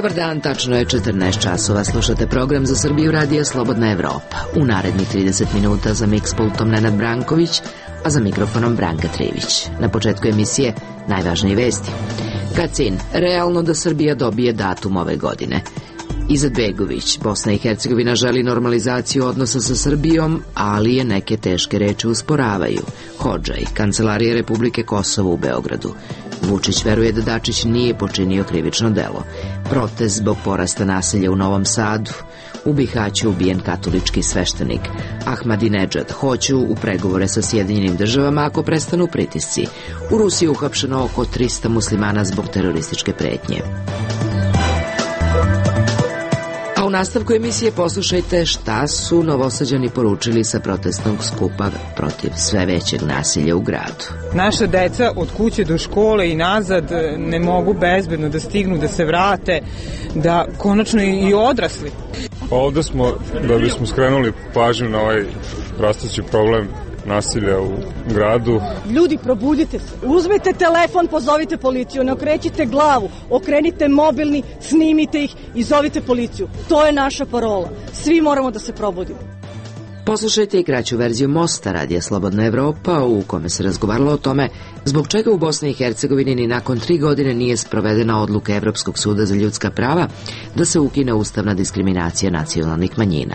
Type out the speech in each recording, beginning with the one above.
Dobar dan, tačno je 14 časova. Slušate program Za Srbiju radija Slobodna Evropa. U narednih 30 minuta za miks pultom Nenad Branković, a za mikrofonom Branka Trivić. Na početku emisije najvažnije vesti. Kacin, realno da Srbija dobije datum ove godine. Izetbegović, Bosna i Hercegovina želi normalizaciju odnosa sa Srbijom, ali je neke teške reči usporavaju. Hodžaj, Kancelarija Republike Kosovo u Beogradu. Vučić veruje da Dačić nije počinio krivično delo. Protest zbog porasta nasilja u Novom Sadu. U Bihaću ubijen katolički sveštenik. Ahmadinedžad, hoću u pregovore sa Sjedinjenim državama ako prestanu pritisci. U Rusiji uhapšeno oko 300 muslimana zbog terorističke pretnje. A u nastavku emisije poslušajte šta su Novosađani poručili sa protestnog skupa protiv sve većeg nasilja u gradu. Naša deca od kuće do škole i nazad ne mogu bezbedno da stignu, da se vrate, da konačno i odrasli. Ovde smo da bismo skrenuli pažnju na ovaj rastući problem nasilja u gradu. Ljudi, probudite se. Uzmite telefon, pozovite policiju, ne okrećite glavu, okrenite mobilni, snimite ih i zovite policiju. To je naša parola. Svi moramo da se probudimo. Poslušajte i kraću verziju Mosta radija Slobodna Evropa u kome se razgovaralo o tome zbog čega u Bosni i Hercegovini ni nakon 3 godine nije sprovedena odluka Evropskog suda za ljudska prava da se ukine ustavna diskriminacija nacionalnih manjina.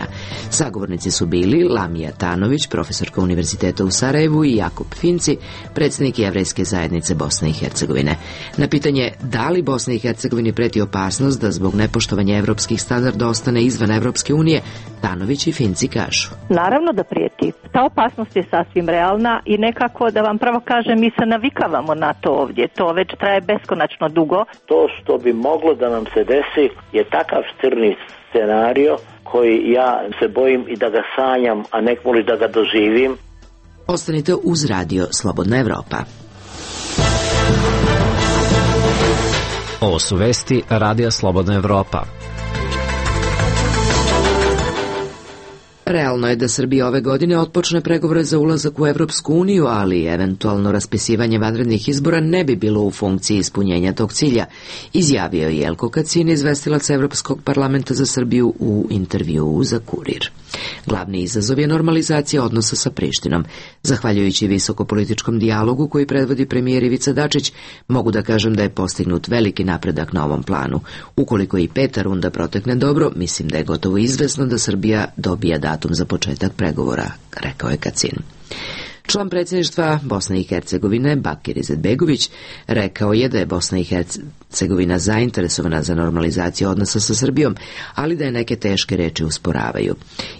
Sagovornici su bili Lamija Tanović, profesorka Univerziteta u Sarajevu, i Jakub Finci, predsjednik Jevrejske zajednice Bosne i Hercegovine. Na pitanje da li Bosni i Hercegovini preti opasnost da zbog nepoštovanja evropskih standarda ostane izvan Evropske unije, Tanović i Finci kažu: Naravno da prijeti. Ta opasnost je sasvim realna i nekako, da vam pravo kažem, mi se navikavamo na to ovdje. To već traje beskonačno dugo. To što bi moglo da nam se desi je takav crni scenario koji ja se bojim i da ga sanjam, a nekmoli da ga doživim. Ostanite uz radio Slobodna Evropa. Ovo su vesti radija Slobodna Evropa. Realno je da Srbija ove godine otpočne pregovore za ulazak u Evropsku uniju, ali eventualno raspisivanje vanrednih izbora ne bi bilo u funkciji ispunjenja tog cilja, izjavio je Jelko Kacin, izvestilac Evropskog parlamenta za Srbiju u intervjuu za Kurir. Glavni izazov je normalizacija odnosa sa Prištinom. Zahvaljujući visokopolitičkom dijalogu koji predvodi premijer Ivica Dačić, mogu da kažem da je postignut veliki napredak na ovom planu. Ukoliko i 5. runda protekne dobro, mislim da je gotovo izvesno da Srbija dobija datum za početak pregovora, rekao je Kacin. Član predsjedništva Bosne i Hercegovine, Bakir Izetbegović, rekao je da je Bosna i Hercegovina zainteresovana za normalizaciju odnosa sa Srbijom, ali da je neke teške reči usporavaju.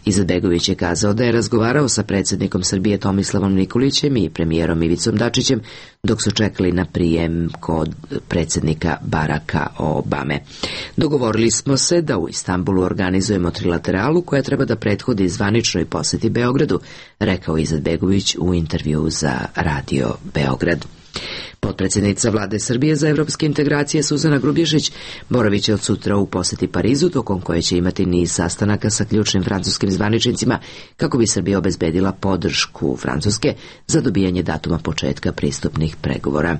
Izetbegović je kazao da je razgovarao sa predsjednikom Srbije Tomislavom Nikolićem i premijerom Ivicom Dačićem dok su čekali na prijem kod predsjednika Baracka Obame. Dogovorili smo se da u Istanbulu organizujemo trilateralu koja treba da prethodi zvaničnoj posjeti Beogradu, rekao Izetbegović u intervju za Radio Beograd. Potpredsjednica Vlade Srbije za evropske integracije Suzana Grubješić boravit će od sutra u posjeti Parizu, tokom koje će imati niz sastanaka sa ključnim francuskim zvaničnicima kako bi Srbija obezbedila podršku Francuske za dobijanje datuma početka pristupnih pregovora.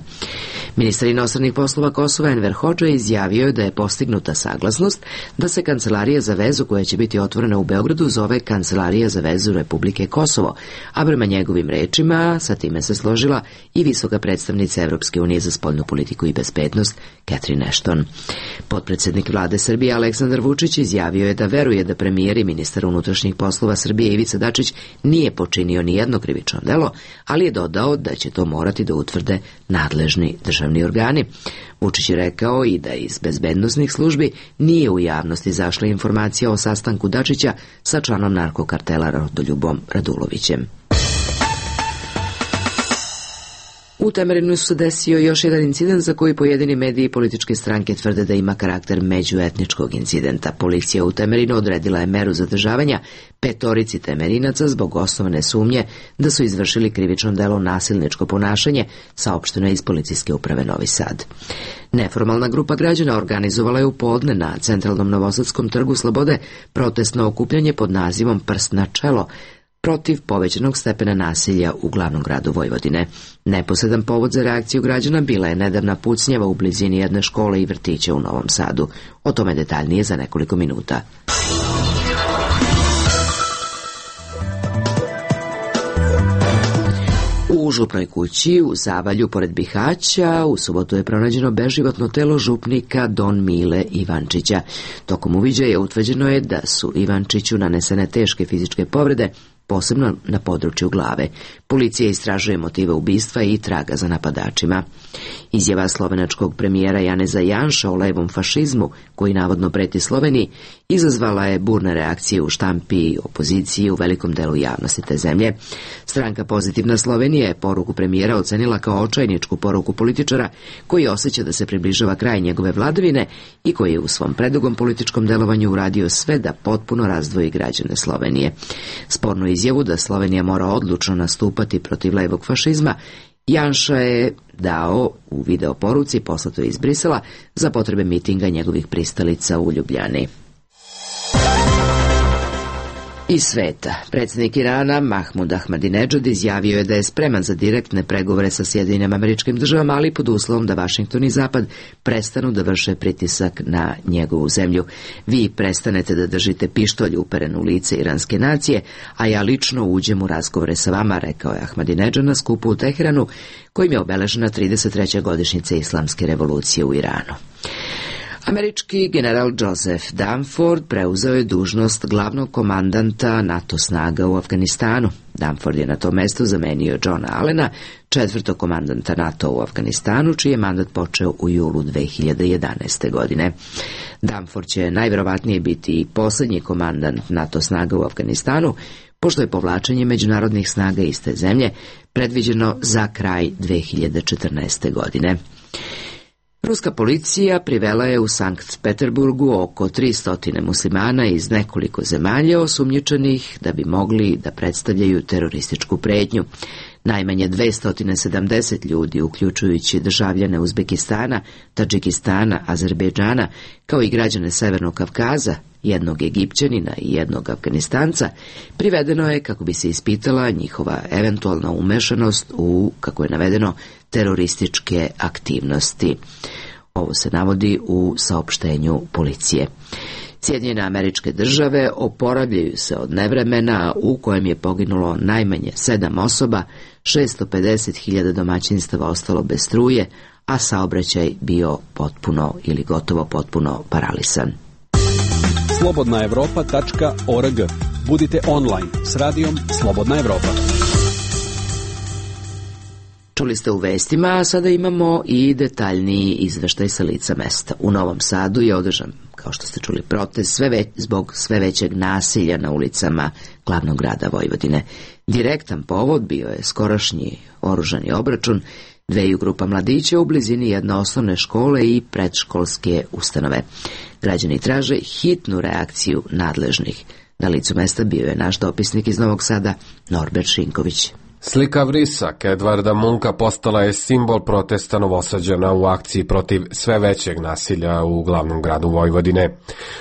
Ministar inostranih poslova Kosova Enver Hodža izjavio je da je postignuta saglasnost da se Kancelarija za vezu koja će biti otvorena u Beogradu zove Kancelarija za vezu Republike Kosovo, a prema njegovim rečima sa time se složila i visoka predstavnica Evropske unije za spoljnu politiku i bezbednost Catherine Ashton. Potpredsjednik Vlade Srbije Aleksandar Vučić izjavio je da veruje da premijer i ministar unutrašnjih poslova Srbije Ivica Dačić nije počinio ni jedno krivično delo, ali je dodao da će to morati da utvrde nadležni državni organi. Vučić je rekao i da iz bezbednosnih službi nije u javnosti izašla informacija o sastanku Dačića sa članom narkokartela Rodoljubom Radulovićem. U Temerinu se desio još jedan incident za koji pojedini mediji i političke stranke tvrde da ima karakter međuetničkog incidenta. Policija u Temerinu odredila je meru zadržavanja 5 Temerinaca zbog osnovne sumnje da su izvršili krivično delo nasilničko ponašanje, saopšteno je iz policijske uprave Novi Sad. Neformalna grupa građana organizovala je u podne na centralnom Novosadskom trgu Slobode protestno okupljanje pod nazivom Prst na čelo, protiv povećanog stepena nasilja u glavnom gradu Vojvodine. Neposredan povod za reakciju građana bila je nedavna pucnjava u blizini jedne škole i vrtića u Novom Sadu. O tome detaljnije za nekoliko minuta. U župnoj kući u Zavalju pored Bihaća u subotu je pronađeno beživotno telo župnika Don Mile Ivančića. Tokom uviđaja utvrđeno je da su Ivančiću nanesene teške fizičke povrede, posebno na području glave. Policija istražuje motive ubistva i traga za napadačima. Izjava slovenačkog premijera Janeza Janša o levom fašizmu, koji navodno preti Sloveniji, izazvala je burne reakcije u štampi i opoziciji u velikom delu javnosti te zemlje. Stranka Pozitivna Slovenija je poruku premijera ocenila kao očajničku poruku političara koji osjeća da se približava kraj njegove vladavine i koji je u svom predugom političkom delovanju uradio sve da potpuno razdvoji građane Slovenije. Spornu izjavu da Slovenija mora odlučno nastupati protiv levog fašizma Janša je dao u video poruci poslatoj iz Brisela za potrebe mitinga njegovih pristalica u Ljubljani. Iz sveta, predsjednik Irana Mahmud Ahmadinedžad izjavio je da je spreman za direktne pregovore sa Sjedinjenim Američkim Državama, ali pod uslovom da Vašington i Zapad prestanu da vrše pritisak na njegovu zemlju. Vi prestanete da držite pištolj uperen u lice iranske nacije, a ja lično uđem u razgovore sa vama, rekao je Ahmadinedžad na skupu u Teheranu, kojim je obeležena 33. godišnjica Islamske revolucije u Iranu. Američki general Joseph Dunford preuzeo je dužnost glavnog komandanta NATO snaga u Afganistanu. Dunford je na to mesto zamenio Johna Allena, četvrtog komandanta NATO u Afganistanu, čiji je mandat počeo u julu 2011. godine. Dunford će najverovatnije biti i posljednji komandant NATO snaga u Afganistanu, pošto je povlačenje međunarodnih snaga iste zemlje predviđeno za kraj 2014. godine. Ruska policija privela je u Sankt Peterburgu oko 300 muslimana iz nekoliko zemalja osumnjičenih da bi mogli da predstavljaju terorističku pretnju. Najmanje 270 ljudi, uključujući državljane Uzbekistana, Tadžikistana, Azerbejdžana, kao i građane Severnog Kavkaza, jednog Egipćanina i jednog Afganistanca, privedeno je kako bi se ispitala njihova eventualna umešanost u, kako je navedeno, terorističke aktivnosti. Ovo se navodi u saopštenju policije. Sjedinjene Američke Države oporavljaju se od nevremena u kojem je poginulo najmanje 7 osoba, 650.000 domaćinstava ostalo bez struje, a saobraćaj bio potpuno ili gotovo potpuno paralisan. slobodnaevropa.org. Budite online s radijom Slobodna Evropa. Čuli ste u vestima, a sada imamo i detaljniji izveštaj sa lica mesta. U Novom Sadu je održan, kao što ste čuli, protest zbog sve većeg nasilja na ulicama glavnog grada Vojvodine. Direktan povod bio je skorašnji oružani obračun dveju grupa mladića u blizini jedne osnovne škole i predškolske ustanove. Građani traže hitnu reakciju nadležnih. Na licu mesta bio je naš dopisnik iz Novog Sada, Norbert Šinković. Slika Vrisak Edvarda Munka postala je simbol protesta Novosađana u akciji protiv sve većeg nasilja u glavnom gradu Vojvodine.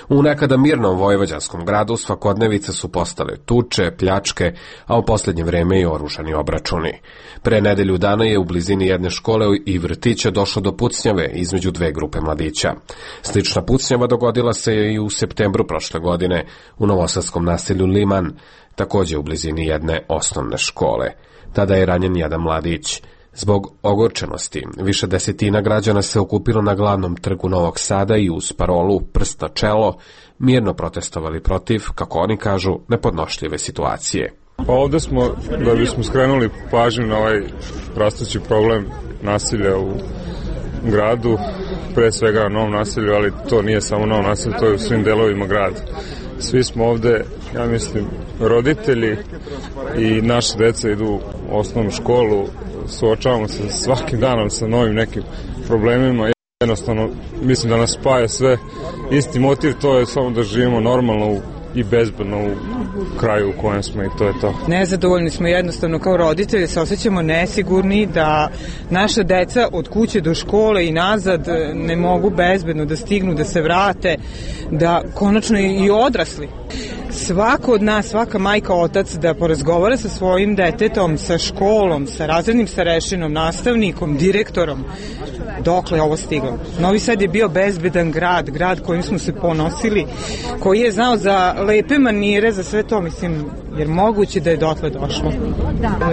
U nekada mirnom vojvođanskom gradu svakodnevice su postale tuče, pljačke, a u posljednje vreme i oružani obračuni. Pre nedelju dana je u blizini jedne škole i vrtića došlo do pucnjave između dve grupe mladića. Slična pucnjava dogodila se i u septembru prošle godine u novosadskom naselju Liman, također u blizini jedne osnovne škole. Tada je ranjen jedan mladić. Zbog ogorčenosti, više desetina građana se okupilo na glavnom trgu Novog Sada i uz parolu "Prst na čelo" mirno protestovali protiv, kako oni kažu, nepodnošljive situacije. Pa ovde smo da bismo skrenuli pažnju na ovaj rastući problem nasilja u gradu, pre svega na novom nasilju, ali to nije samo novo nasilje, to je u svim delovima grada. Svi smo ovde, ja mislim, roditelji i naše deca idu u osnovnu školu, suočavamo se svakim danom sa novim nekim problemima. Jednostavno, mislim da nas spaja sve isti motiv, to je samo da živimo normalno i bezbedno u kraju u kojem smo i to je to. Nezadovoljni smo jednostavno kao roditelji, se osjećamo nesigurni da naša deca od kuće do škole i nazad ne mogu bezbedno da stignu, da se vrate, da konačno i odrasli svako od nas, svaka majka, otac da porazgovara sa svojim detetom, sa školom, sa razrednim starešinom, nastavnikom, direktorom, dokle je ovo stiglo. Novi Sad je bio bezbedan grad kojim smo se ponosili, koji je znao za lepe manire, za sve to, mislim, jer moguće da je dotle došlo.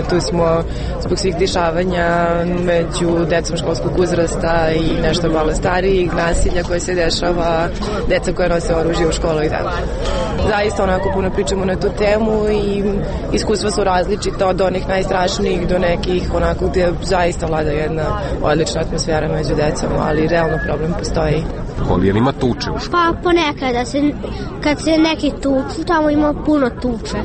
Tu smo zbog svih dešavanja među decom školskog uzrasta i nešto malo starijih, nasilja koje se dešava, deca koja nose oružje u školu i tako. Zaista onako puno pričamo na tu temu i iskustva su različita od onih najstrašnijih do nekih onako gdje zaista vlada jedna odlična atmosfera među decom, ali realno problem postoji. Jel ima tuče u školu? Pa ponekad, kad se neki tuču, tamo ima puno tuče.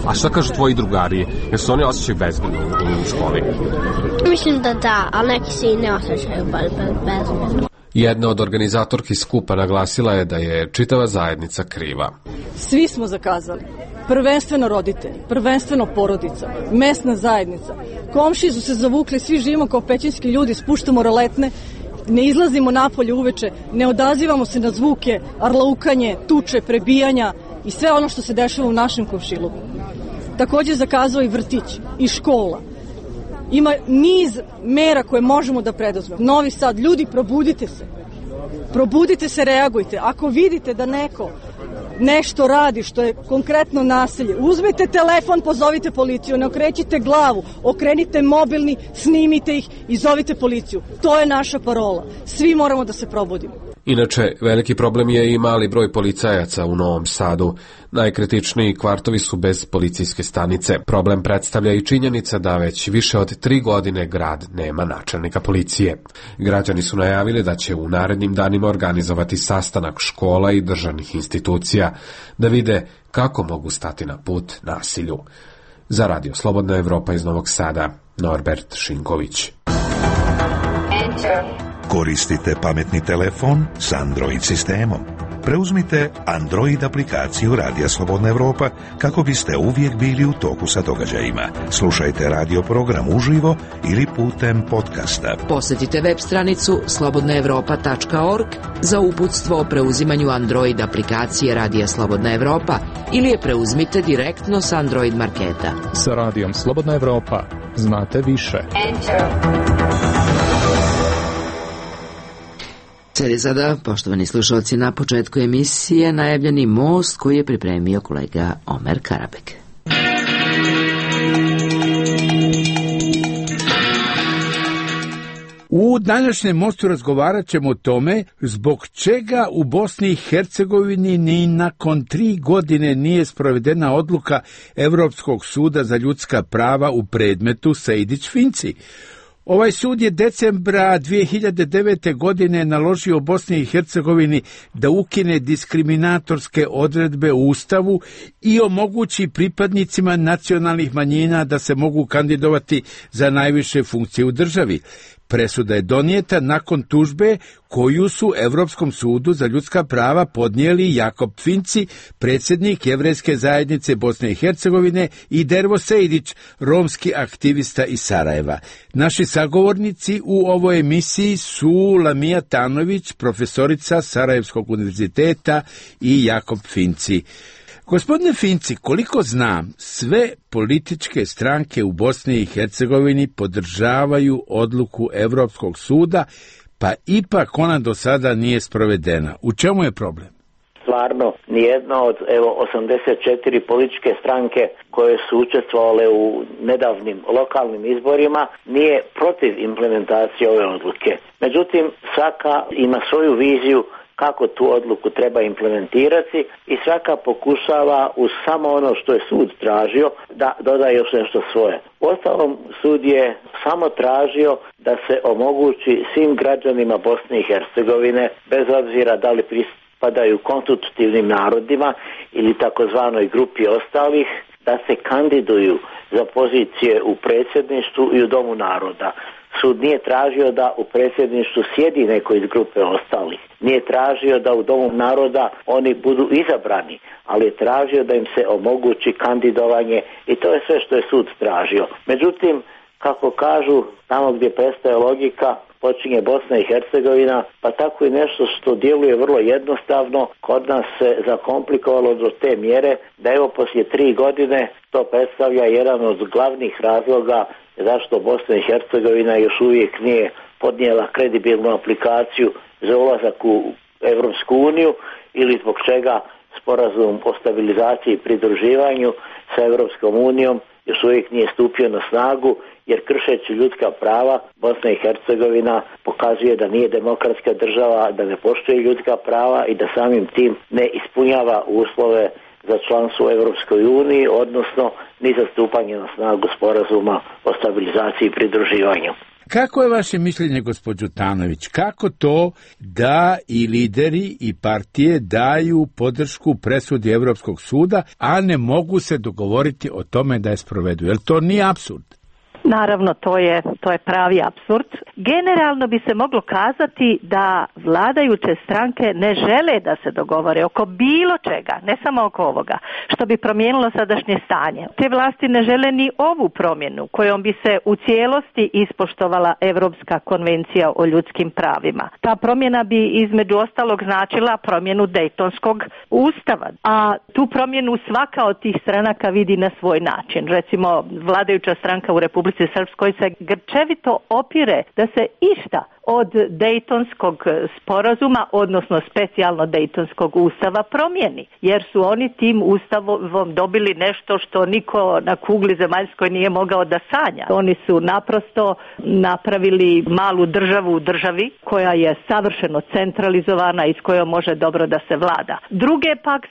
A šta kažu tvoji drugari? Jer se oni osjećaju bezbedno u školi? Mislim da, ali neki se i ne osjećaju bezbedno. Jedna od organizatorki skupa naglasila je da je čitava zajednica kriva. Svi smo zakazali. Prvenstveno roditelji, prvenstveno porodica, mesna zajednica. Komšiji su se zavukli, svi živimo kao pećinski ljudi, spuštamo roletne, ne izlazimo napolje uveče, ne odazivamo se na zvuke, arlaukanje, tuče, prebijanja i sve ono što se dešava u našem komšiluku. Takođe zakazao i vrtić, i škola. Ima niz mera koje možemo da preduzmemo. Novi Sad, ljudi, probudite se, reagujte. Ako vidite da neko nešto radi što je konkretno nasilje, uzmite telefon, pozovite policiju, ne okrećite glavu, okrenite mobilni, snimite ih i zovite policiju. To je naša parola. Svi moramo da se probudimo. Inače, veliki problem je i mali broj policajaca u Novom Sadu. Najkritičniji kvartovi su bez policijske stanice. Problem predstavlja i činjenica da već više od 3 godine grad nema načelnika policije. Građani su najavili da će u narednim danima organizovati sastanak škola i državnih institucija, da vide kako mogu stati na put nasilju. Za Radio Slobodna Evropa iz Novog Sada, Norbert Šinković. Koristite pametni telefon s Android sistemom. Preuzmite Android aplikaciju Radija Slobodna Evropa kako biste uvijek bili u toku sa događajima. Slušajte radio program uživo ili putem podcasta. Posjetite web stranicu slobodnaevropa.org za uputstvo o preuzimanju Android aplikacije Radija Slobodna Evropa ili je preuzmite direktno s Android marketa. Sa Radijom Slobodna Evropa znate više. Slijedi sada, poštovani slušalci, na početku emisije najavljeni most koji je pripremio kolega Omer Karabek. U današnjem mostu razgovarat ćemo o tome zbog čega u Bosni i Hercegovini ni nakon 3 godine nije sprovedena odluka Evropskog suda za ljudska prava u predmetu Sejdić-Finci. Ovaj sud je decembra 2009. godine naložio Bosni i Hercegovini da ukine diskriminatorske odredbe u Ustavu i omogući pripadnicima nacionalnih manjina da se mogu kandidovati za najviše funkcije u državi. Presuda je donijeta nakon tužbe koju su Evropskom sudu za ljudska prava podnijeli Jakob Finci, predsjednik Jevrejske zajednice Bosne i Hercegovine, i Dervo Sejdić, romski aktivista iz Sarajeva. Naši sagovornici u ovoj emisiji su Lamija Tanović, profesorica Sarajevskog univerziteta, i Jakob Finci. Gospodine Finci, koliko znam, sve političke stranke u Bosni i Hercegovini podržavaju odluku Evropskog suda, pa ipak ona do sada nije sprovedena. U čemu je problem? Stvarno, nijedna od 84 političke stranke koje su učestvovale u nedavnim lokalnim izborima nije protiv implementacije ove odluke. Međutim, svaka ima svoju viziju kako tu odluku treba implementirati i svaka pokušava uz samo ono što je sud tražio da doda još nešto svoje. Uostalom, sud je samo tražio da se omogući svim građanima Bosne i Hercegovine, bez obzira da li pripadaju konstitutivnim narodima ili takozvanoj grupi ostalih, da se kandiduju za pozicije u predsjedništvu i u Domu naroda. Sud nije tražio da u predsjedništvu sjedi neko iz grupe ostalih. Nije tražio da u Domu naroda oni budu izabrani, ali je tražio da im se omogući kandidovanje i to je sve što je sud tražio. Međutim, kako kažu, tamo gdje prestaje logika, počinje Bosna i Hercegovina, pa tako i nešto što djeluje vrlo jednostavno kod nas se zakomplikovalo do te mjere da evo poslije 3 godine to predstavlja jedan od glavnih razloga zašto Bosna i Hercegovina još uvijek nije podnijela kredibilnu aplikaciju za ulazak u Europsku uniju ili zbog čega sporazum o stabilizaciji i pridruživanju sa Europskom unijom još uvijek nije stupio na snagu, jer kršeći ljudska prava Bosna i Hercegovina pokazuje da nije demokratska država, da ne poštuje ljudska prava i da samim tim ne ispunjava uslove za članstvo u Europskoj uniji, odnosno ni za stupanje na snagu sporazuma o stabilizaciji i pridruživanju. Kako je vaše mišljenje, gospođo Tanović, kako to da i lideri i partije daju podršku presudi Evropskog suda, a ne mogu se dogovoriti o tome da je sprovedu? Jer to nije apsurd? Naravno, to je pravi apsurd. Generalno bi se moglo kazati da vladajuće stranke ne žele da se dogovore oko bilo čega, ne samo oko ovoga, što bi promijenilo sadašnje stanje. Te vlasti ne žele ni ovu promjenu kojom bi se u cijelosti ispoštovala Europska konvencija o ljudskim pravima. Ta promjena bi između ostalog značila promjenu Dejtonskog ustava, a tu promjenu svaka od tih stranaka vidi na svoj način. Recimo, vladajuća stranka u Republici Srpskoj se grčevito opire da se išta od Dejtonskog sporazuma, odnosno specijalno Dejtonskog ustava promijeni, jer su oni tim ustavom dobili nešto što niko na kugli zemaljskoj nije mogao da sanja. Oni su naprosto napravili malu državu u državi koja je savršeno centralizovana i s kojom može dobro da se vlada. Druge pak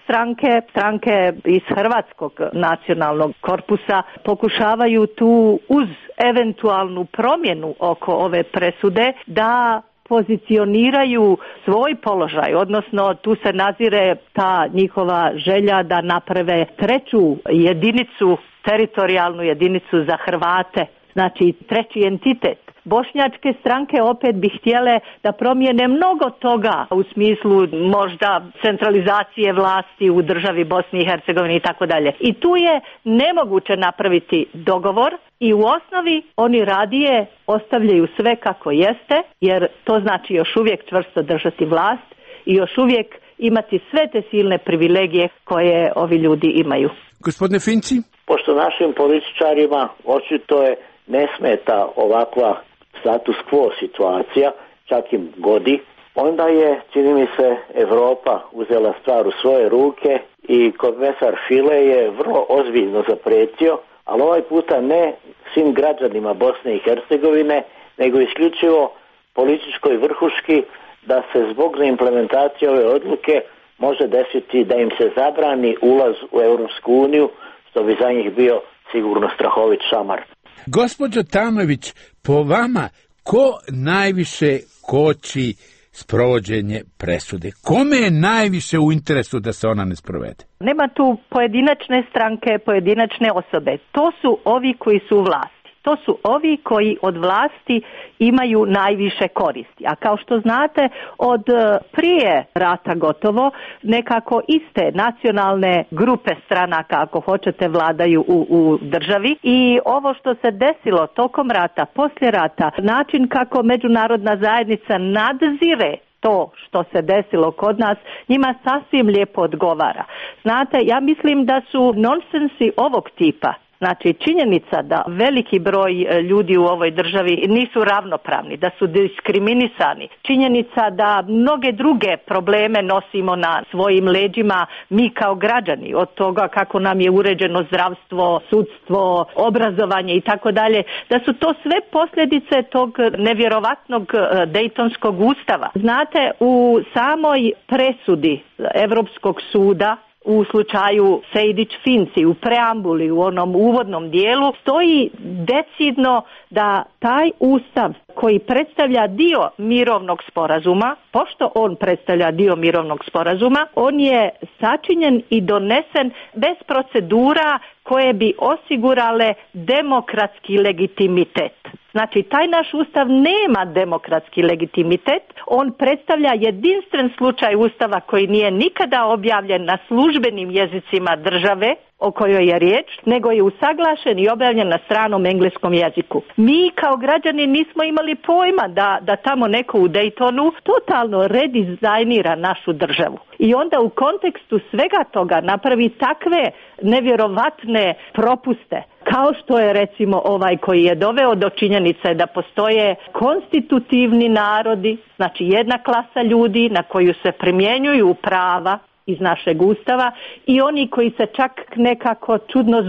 stranke iz Hrvatskog nacionalnog korpusa pokušavaju tu uz eventualnu promjenu oko ove presude da pozicioniraju svoj položaj, odnosno tu se nazire ta njihova želja da naprave treću jedinicu, teritorijalnu jedinicu za Hrvate, znači treći entitet. Bošnjačke stranke opet bi htjele da promijene mnogo toga u smislu možda centralizacije vlasti u državi Bosni i Hercegovini i tako dalje. I tu je nemoguće napraviti dogovor i u osnovi oni radije ostavljaju sve kako jeste, jer to znači još uvijek čvrsto držati vlast i još uvijek imati sve te silne privilegije koje ovi ljudi imaju. Gospodine Finci? Pošto našim političarima očito je ne smeta ovakva status quo situacija, čak im godi, onda je, čini mi se, Europa uzela stvar u svoje ruke i komesar File je vrlo ozbiljno zaprijetio, ali ovaj puta ne svim građanima Bosne i Hercegovine, nego isključivo političkoj vrhuški da se zbog neimplementacije ove odluke može desiti da im se zabrani ulaz u Europsku uniju, što bi za njih bio sigurno strahovit šamar. Gospođo Tanović, po vama, ko najviše koči sprovođenje presude? Kome je najviše u interesu da se ona ne sprovede? Nema tu pojedinačne stranke, pojedinačne osobe. To su ovi koji su u vlasti. To su ovi koji od vlasti imaju najviše koristi. A kao što znate, od prije rata gotovo nekako iste nacionalne grupe stranaka, ako hoćete, vladaju u državi. I ovo što se desilo tokom rata, poslije rata, način kako međunarodna zajednica nadzire to što se desilo kod nas, njima sasvim lijepo odgovara. Znate, ja mislim da su nonsensi ovog tipa, znači činjenica da veliki broj ljudi u ovoj državi nisu ravnopravni, da su diskriminisani, činjenica da mnoge druge probleme nosimo na svojim leđima mi kao građani, od toga kako nam je uređeno zdravstvo, sudstvo, obrazovanje i tako dalje, da su to sve posljedice tog nevjerovatnog Dejtonskog ustava. Znate, u samoj presudi Europskog suda u slučaju Sejdić-Finci, u preambuli, u onom uvodnom dijelu, stoji decidno da taj ustav koji predstavlja dio mirovnog sporazuma, pošto on predstavlja dio mirovnog sporazuma, on je sačinjen i donesen bez procedura koje bi osigurale demokratski legitimitet. Znači, taj naš ustav nema demokratski legitimitet, on predstavlja jedinstven slučaj ustava koji nije nikada objavljen na službenim jezicima države o kojoj je riječ, nego je usaglašen i objavljen na stranom engleskom jeziku. Mi kao građani nismo imali pojma da tamo neko u Daytonu totalno redizajnira našu državu. I onda u kontekstu svega toga napravi takve nevjerovatne propuste, kao što je recimo ovaj koji je doveo do činjenice da postoje konstitutivni narodi, znači jedna klasa ljudi na koju se primjenjuju prava iz našeg ustava i oni koji se čak nekako čudno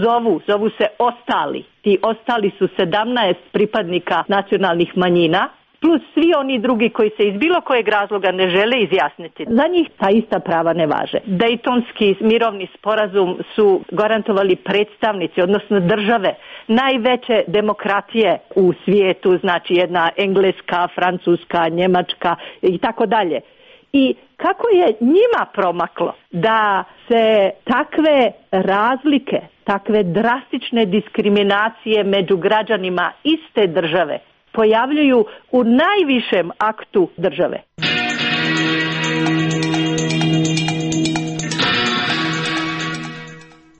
zovu se ostali. Ti ostali su 17 pripadnika nacionalnih manjina, plus svi oni drugi koji se iz bilo kojeg razloga ne žele izjasniti. Za njih ta ista prava ne važe. Dejtonski mirovni sporazum su garantovali predstavnici, odnosno države, najveće demokratije u svijetu, znači jedna Engleska, Francuska, Njemačka i tako dalje. I kako je njima promaklo da se takve razlike, takve drastične diskriminacije među građanima iste države pojavljuju u najvišem aktu države.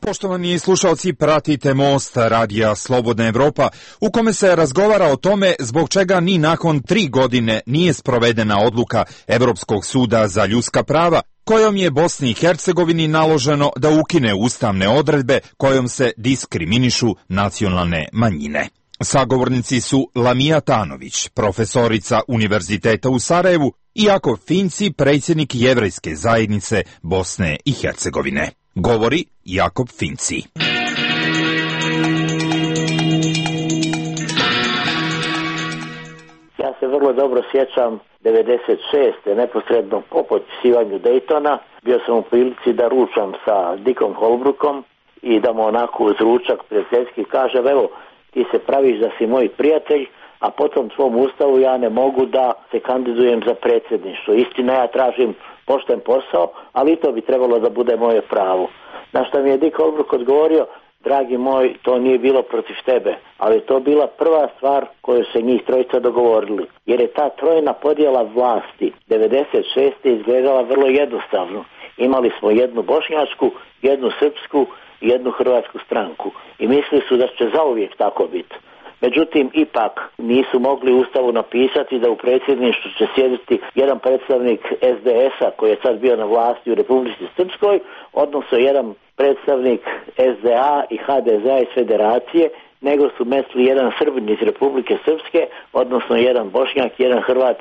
Poštovani slušalci, pratite Most radija Slobodna Evropa, u kome se razgovara o tome zbog čega ni nakon 3 godine nije sprovedena odluka Evropskog suda za ljudska prava, kojom je Bosni i Hercegovini naloženo da ukine ustavne odredbe kojom se diskriminišu nacionalne manjine. Sagovornici su Lamija Tanović, profesorica Univerziteta u Sarajevu, i Jakov Finci, predsjednik Jevrejske zajednice Bosne i Hercegovine. Govori Jakov Finci. Ja se vrlo dobro sjećam 96. neposredno po potpisivanju Daytona. Bio sam u prilici da ručam sa Dickom Holbrookom i da mu onako uz ručak prijateljski kažem, evo, ti se praviš da si moj prijatelj, a potom svom ustavu ja ne mogu da se kandidujem za predsjedništvo. Istina, ja tražim pošten posao, ali i to bi trebalo da bude moje pravo. Na što mi je Dick Holbrook odgovorio, dragi moj, to nije bilo protiv tebe, ali to bila prva stvar koju se njih trojica dogovorili. Jer je ta trojna podjela vlasti 96. izgledala vrlo jednostavno. Imali smo jednu bošnjačku, jednu srpsku i jednu hrvatsku stranku. I mislili su da će zauvijek tako biti. Međutim, ipak nisu mogli u ustavu napisati da u predsjedništvu će sjediti jedan predstavnik SDS-a koji je sad bio na vlasti u Republici Srpskoj, odnosno jedan predstavnik SDA i HDZ-a iz Federacije, nego su mesli jedan Srbin iz Republike Srpske, odnosno jedan Bošnjak, jedan Hrvat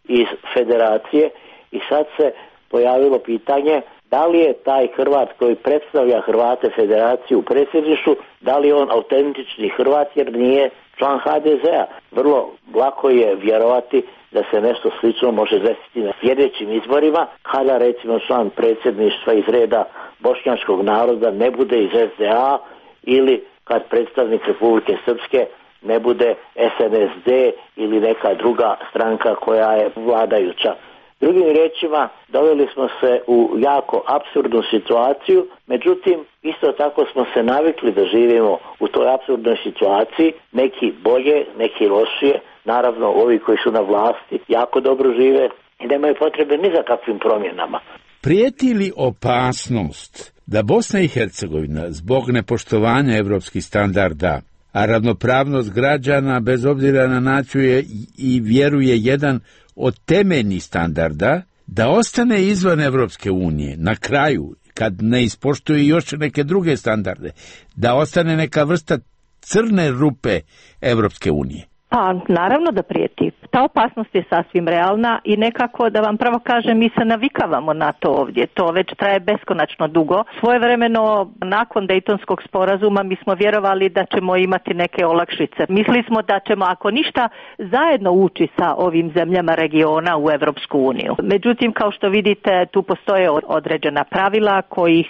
iz Federacije. I sad se pojavilo pitanje da li je taj Hrvat koji predstavlja Hrvate Federaciju u predsjedništvu, da li je on autentični Hrvat jer nije član HDZ-a. Vrlo lako je vjerovati da se nešto slično može desiti na sljedećim izborima, kada recimo član predsjedništva iz reda bošnjačkog naroda ne bude iz SDA ili kad predstavnik Republike Srpske ne bude SNSD ili neka druga stranka koja je vladajuća. Drugim riječima, doveli smo se u jako apsurdnu situaciju, međutim, isto tako smo se navikli da živimo u toj apsurdnoj situaciji, neki bolje, neki lošije, naravno ovi koji su na vlasti jako dobro žive i nemaju potrebe ni za kakvim promjenama. Prijeti li opasnost da Bosna i Hercegovina zbog nepoštovanja evropskih standarda, a ravnopravnost građana bez obzira na naciju je i vjeru je jedan od temeljnih standarda, da ostane izvan Evropske unije na kraju, kad ne ispoštuje još neke druge standarde, da ostane neka vrsta crne rupe Evropske unije? Pa, naravno da prijeti. Ta opasnost je sasvim realna i nekako, da vam pravo kažem, mi se navikavamo na to ovdje. To već traje beskonačno dugo. Svojevremeno, nakon Dejtonskog sporazuma, mi smo vjerovali da ćemo imati neke olakšice. Mislili smo da ćemo, ako ništa, zajedno ući sa ovim zemljama regiona u Evropsku uniju. Međutim, kao što vidite, tu postoje određena pravila kojih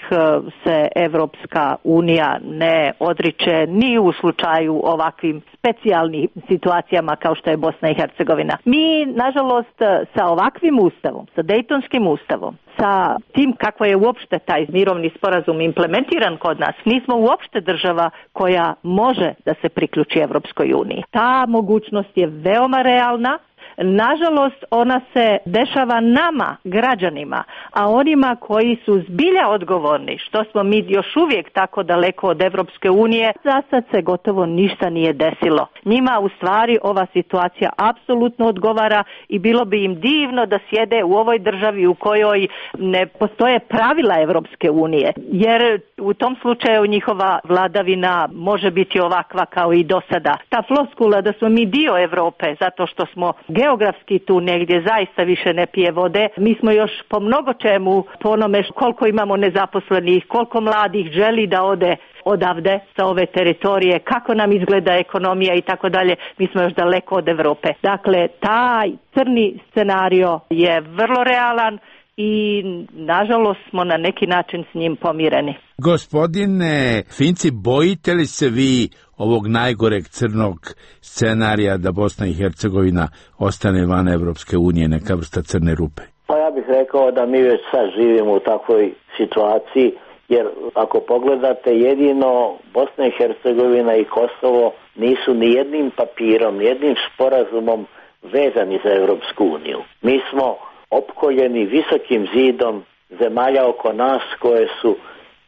se Evropska unija ne odriče ni u slučaju ovakvim specijalnih situacijama kao što je Bosna i Hercegovina. Hercegovina. Mi, nažalost, sa ovakvim ustavom, sa Dejtonskim ustavom, sa tim kako je uopšte taj mirovni sporazum implementiran kod nas, nismo uopšte država koja može da se priključi Evropskoj uniji. Ta mogućnost je veoma realna. Nažalost, ona se dešava nama, građanima, a onima koji su zbilja odgovorni, što smo mi još uvijek tako daleko od Evropske unije, za sad se gotovo ništa nije desilo. Njima u stvari ova situacija apsolutno odgovara i bilo bi im divno da sjede u ovoj državi u kojoj ne postoje pravila Evropske unije, jer u tom slučaju njihova vladavina može biti ovakva kao i do sada. Ta floskula da smo mi dio Evrope zato što smo geografski tu negdje zaista više ne pije vode. Mi smo još po mnogo čemu, po onome koliko imamo nezaposlenih, koliko mladih želi da ode odavde sa ove teritorije, kako nam izgleda ekonomija i tako dalje, mi smo još daleko od Evrope. Dakle, taj crni scenario je vrlo realan i nažalost smo na neki način s njim pomireni. Gospodine Finci, bojite li se vi ovog najgoreg crnog scenarija da Bosna i Hercegovina ostane van Evropske unije, neka vrsta crne rupe? Pa ja bih rekao da mi već sad živimo u takvoj situaciji, jer ako pogledate, jedino Bosna i Hercegovina i Kosovo nisu ni jednim papirom, ni jednim sporazumom vezani za Evropsku uniju. Mi smo opkoljeni visokim zidom zemalja oko nas koje su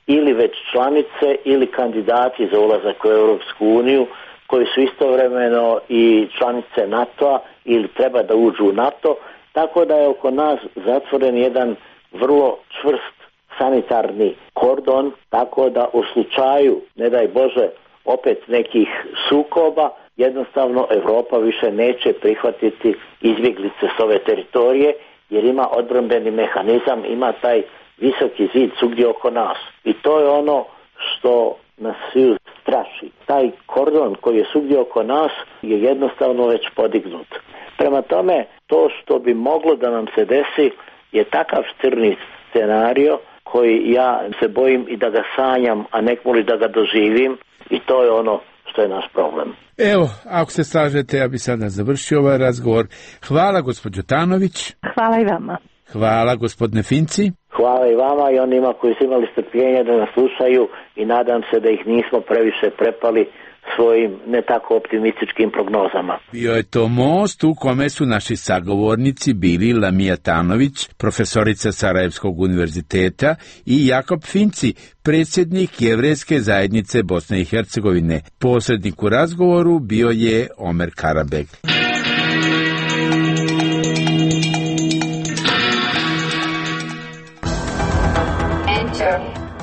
ili već članice ili kandidati za ulazak u Europsku uniju, koji su istovremeno i članice NATO-a ili treba da uđu u NATO, tako da je oko nas zatvoren jedan vrlo čvrst sanitarni kordon, tako da u slučaju, ne daj Bože, opet nekih sukoba, jednostavno Evropa više neće prihvatiti izbjeglice s ove teritorije, jer ima odbrambeni mehanizam, ima taj visoki zid svugdje oko nas. I to je ono što nas svi straši. Taj kordon koji je svugdje oko nas je jednostavno već podignut. Prema tome, to što bi moglo da nam se desi je takav crni scenario koji ja se bojim i da ga sanjam, a nekmoli da ga doživim, i to je ono što je naš problem. Evo, ako se slažete, ja bi sada završio ovaj razgovor. Hvala, gospođo Tanović. Hvala i vama. Hvala, gospodine Finci. Hvala i vama i onima koji su imali strpljenja da nas slušaju i nadam se da ih nismo previše prepali svojim ne tako optimističkim prognozama. Bio je to most u kome su naši sagovornici bili Lamija Tanović, profesorica Sarajevskog univerziteta, i Jakob Finci, predsjednik Jevrejske zajednice Bosne i Hercegovine. Posrednik u razgovoru bio je Omer Karabeg.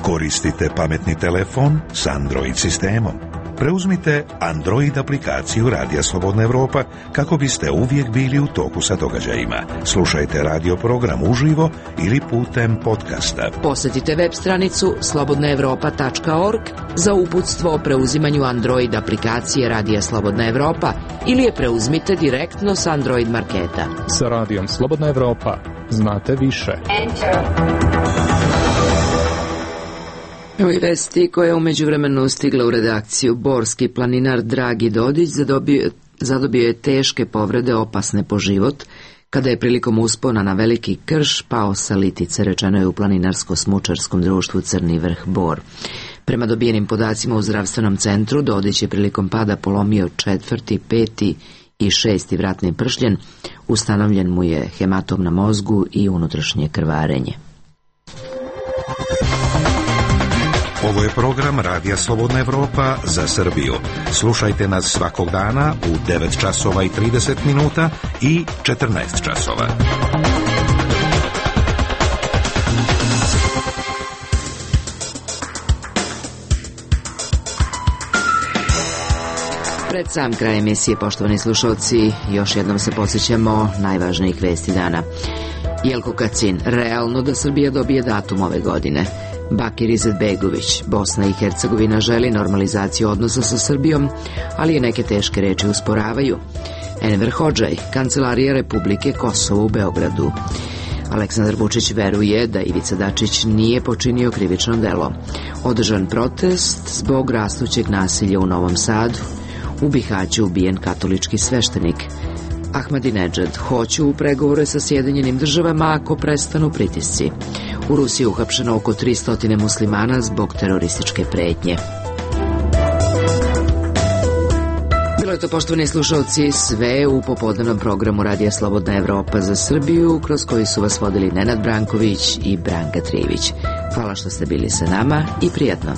Koristite pametni telefon s Android sistemom. Preuzmite Android aplikaciju Radija Slobodna Evropa kako biste uvijek bili u toku sa događajima. Slušajte radio program uživo ili putem podcasta. Posjetite web stranicu slobodnaevropa.org za uputstvo o preuzimanju Android aplikacije Radija Slobodna Evropa ili je preuzmite direktno s Android marketa. Sa Radijom Slobodna Evropa znate više. Evo i vesti koja je u međuvremenu stigla u redakciju. Borski planinar Dragi Dodić zadobio je teške povrede opasne po život kada je prilikom uspona na Veliki Krš pao sa litice, rečeno je u planinarsko-smučarskom društvu Crni vrh Bor. Prema dobijenim podacima u zdravstvenom centru, Dodić je prilikom pada polomio 4., 5. i 6. vratni pršljen, ustanovljen mu je hematom na mozgu i unutrašnje krvarenje. Ovo je program Radija Slobodna Evropa za Srbiju. Slušajte nas svakog dana u 9 časova i 30 minuta i 14 časova. Pred sam kraj emisije, poštovani slušalci, još jednom se podsjećamo najvažnijih vesti dana. Jelko Kacin, realno da Srbija dobije datum ove godine. Bakir Izetbegović, Bosna i Hercegovina želi normalizaciju odnosa sa Srbijom, ali je neke teške reči usporavaju. Enver Hodžaj, Kancelarija Republike Kosovo u Beogradu. Aleksandar Vučić veruje da Ivica Dačić nije počinio krivično delo. Održan protest zbog rastućeg nasilja u Novom Sadu. U Bihaću ubijen katolički sveštenik. Ahmadinejad: hoću u pregovore sa Sjedinjenim državama ako prestanu pritisci. U Rusiji je uhapšeno oko 300 muslimana zbog terorističke pretnje. Bilo je to, poštovani slušalci, sve u popodnevnom programu Radija Slobodna Evropa za Srbiju, kroz koji su vas vodili Nenad Branković i Branka Trivić. Hvala što ste bili sa nama i prijatno.